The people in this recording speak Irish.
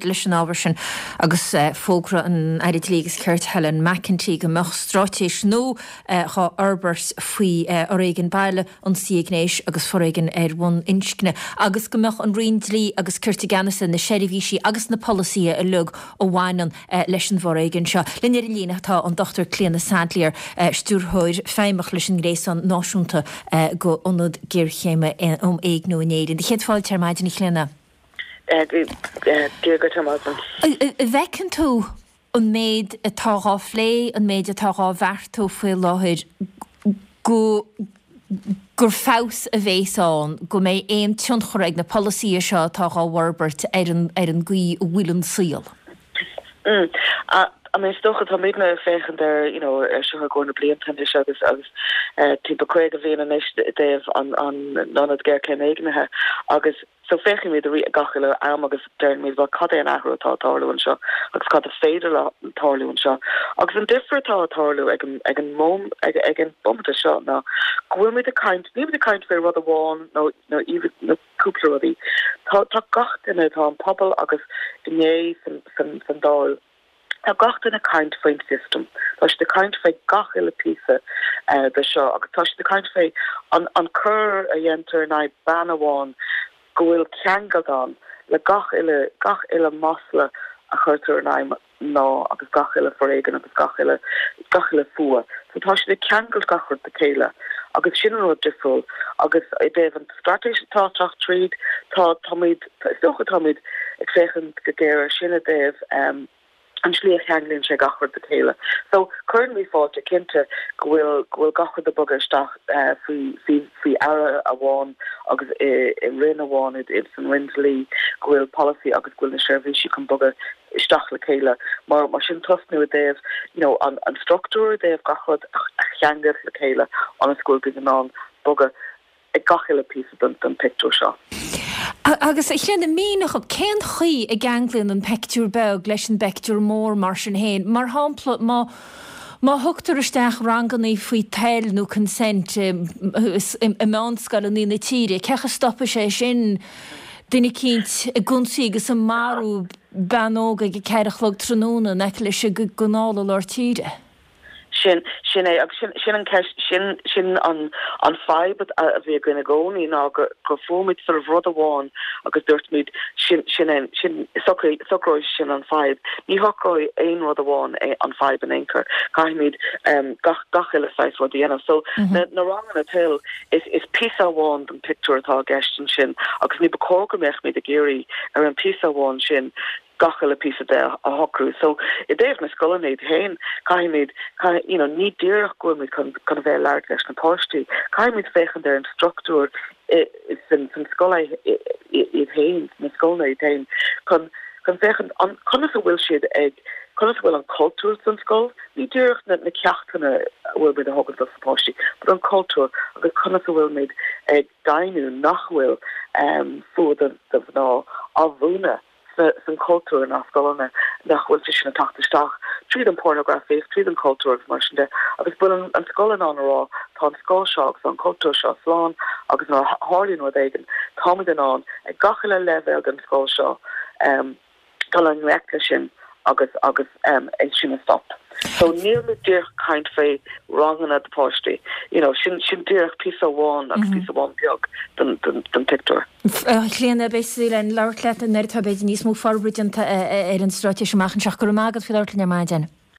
Leis an ábhar sin agus fógra an Aire Dlí agus Cirt Helen McEntee go mbeadh straitéis nua dhá fhorbairt faoi fhoréigean baile, ionsaithe gnéis agus foréigean ar bhonn inscne agus go mbeadh an Roinn Dlí agus Cirt i gceannas ar na seirbhísí agus na polasaithe uilig a bhaineann leis an bhforéigean seo. Linn ar an líne tá an Dr Clíona Saidléar, Stiúrthóir Feidhmeach leis an nGréasán Náisiúnta go Ionad Géarchéime um Éigniú in Éirinn. Céad fáilte ar maidin a Chlíona. Dia dhuit ar maidin. An bhfeiceann tú an méid atá dhá phlé, an méid atá dhá bheartú faoi láthair, go gur feabhas a bhéas ann, go mbeidh aon tionchar ag na polasaithe seo atá dhá bhforbairt ar an ar an gcaoi a bhfuil an saol? I mean, is dócha, táimidne ag féachaint ar, you know, ar seo i gcomhair na blianta anois agus agus timpeall 50 bhliain anois i dtaobh an an ionad géarchéime éignithe agus So féachaimid ar gach uile am agus deirimid, bhuel, cad é an athrú atá ag tarlú anseo agus cad is féidir le tarlú anseo? Agus an difear atá ag tarlú ag an, ag an móm, ag, ag an bomaite seo ná go bhfuilimid ag caint, nílimid ag caint faoi rud amháin nó, nó nó cúpla rudaí. Tá, tá gach duine, tá an pobal agus inné san, san, san Dáil, Tá gach duine ag caint faoin system. Tá siad ag caint faoi gach uile píosa de seo agus tá siad ag caint faoi an an coir a dhéantar in aghaidh bean amháin go bhfuil ceangal ann le gach uile gach uile masla a chuirtear in aghaidh mná agus gach uile foréigean agus gach uile gach uile fuath. So tá siad ag ceangailt gach rud le chéile agus sin an rud difriúil agus i dtaobh an straitéis atá ag teacht tríd tá táimid Is dócha táimid ag féachaint go géar ar sin i dtaobh an tslí a cheanglaíonn sé gach rud le chéile. So, cuireann fáilte cinnte go bhfuil go bhfuil gach rud ag bogadh isteach faoi faoi faoi aire amháin agus i i roinn amháin i san Roinn Dlí go bhfuil polasaí agus go bhfuil na seirbhísí chun bogadh isteach le chéile mar mar sin tosnú i dtaobh you know an an struchtúr i dtaobh gach rud a cheangal le chéile ionas go bhfuil daoine in ann bogadh ag gach uile píosa den pictiúr seo. Agus, a Chlíona, mínigh dhom, cén chaoi a gceanglaíonn an peictiúr beag leis an bpeictiúr mór mar sin féin? Mar shampla, má má thugtar isteach rangannaí faoi toil nó consent i meánscoileanna na tíre, cén chaoi a stopfaidh sé sin duine eicínt ag ionsaí agus ag marú bean óg ag a ceathair a chlog tráthnóna in aice leis an gcanáil i lár tíre? Sin, sin é, agus sin, sin an ceist, sin, sin an, an fadhb a bhí againn i gcónaí ná go, go fuair muid sort of rud amháin agus dúirt muid sin, sin é, sin, socraigh, socróidh sin an fadhb. Ní shocróidh aon rud amháin é, an fadhb in aon chor. Caithfimid um, gach, gach uile saghas rud a dhéanamh. So, na, na ranganna toil, is, is píosa amháin den pictiúr atá i gceist ansin agus ní ba chóir go mbeadh muid ag iarraidh ar an píosa amháin sin gach uile píosa de a shocrú. So, i dtaobh na scoileanna iad féin, caithfimid, caith, you know, ní díreach go bhfuilimid chun, chun a bheith ag labhairt leis na páistí, caithfimid féachaint ar an struchtúr i, san, san scoil iad féin, sna scoileanna iad féin, chun, chun féachaint an, conas a bhfuil siad ag, conas a bhfuil an cultúr san scoil, ní díreach na, na ceachtanna a bhfuil muid a thógaint dos na páistí, but an cultúr agus conas a bhfuil muid ag deimhniú nach bhfuil fuath do, do mhná á mhúineadh san chultúr inár scoileanna, nach bhfuil sé sin ag teacht isteach tríd an pornagrafaíocht, tríd an chultúr agus mar sin de, agus bhfuil an scoil in ann a rá tá an scoil seo agus an cultúr seo slán agus nuair a tharlaíonn rud éigin táimid in ann ag gach uile leibhéal den scoil seo dul i ngleic leis sin agus agus é sin a stop. So níl muid díreach ag caint faoi ranganna do pháistí, you know, sin sin díreach píosa amháin agus píosa amháin beag den den den pictiúr. A Chlíona, beidh súil againn labhairt leat nuair atá b'fhéidir níos mó forbartha déanta ar an straitéis amach anseo. Go raibh maith agat faoi labhairt linn ar maidin.